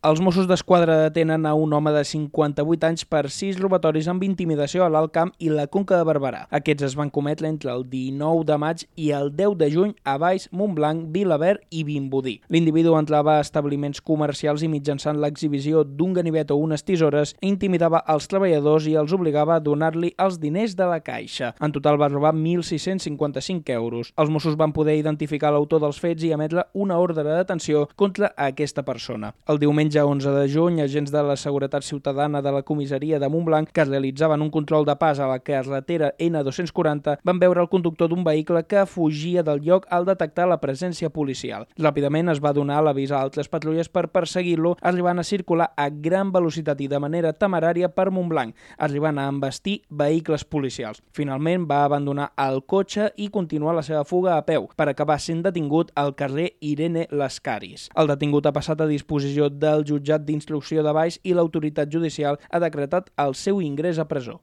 Els Mossos d'Esquadra detenen a un home de 58 anys per 6 robatoris amb intimidació a l'Alt Camp i la Conca de Barberà. Aquests es van cometre entre el 19 de maig i el 10 de juny a Valls, Montblanc, Vilaverd i Vimbodí. L'individu entrava a establiments comercials i mitjançant l'exhibició d'un ganivet o unes tisores intimidava els treballadors i els obligava a donar-li els diners de la caixa. En total va robar 1.655 euros. Els Mossos van poder identificar l'autor dels fets i emetre una ordre de detenció contra aquesta persona. El diumenge 11 de juny, agents de la Seguretat Ciutadana de la comissaria de Montblanc, que realitzaven un control de pas a la carretera N240, van veure el conductor d'un vehicle que fugia del lloc al detectar la presència policial. Ràpidament es va donar l'avís a altres patrulles per perseguir-lo, arribant a circular a gran velocitat i de manera temerària per Montblanc, arribant a embestir vehicles policials. Finalment va abandonar el cotxe i continuar la seva fuga a peu, per acabar sent detingut al carrer Irene Lascaris. El detingut ha passat a disposició del jutjat d'instrucció de Valls i l'autoritat judicial ha decretat el seu ingrés a presó.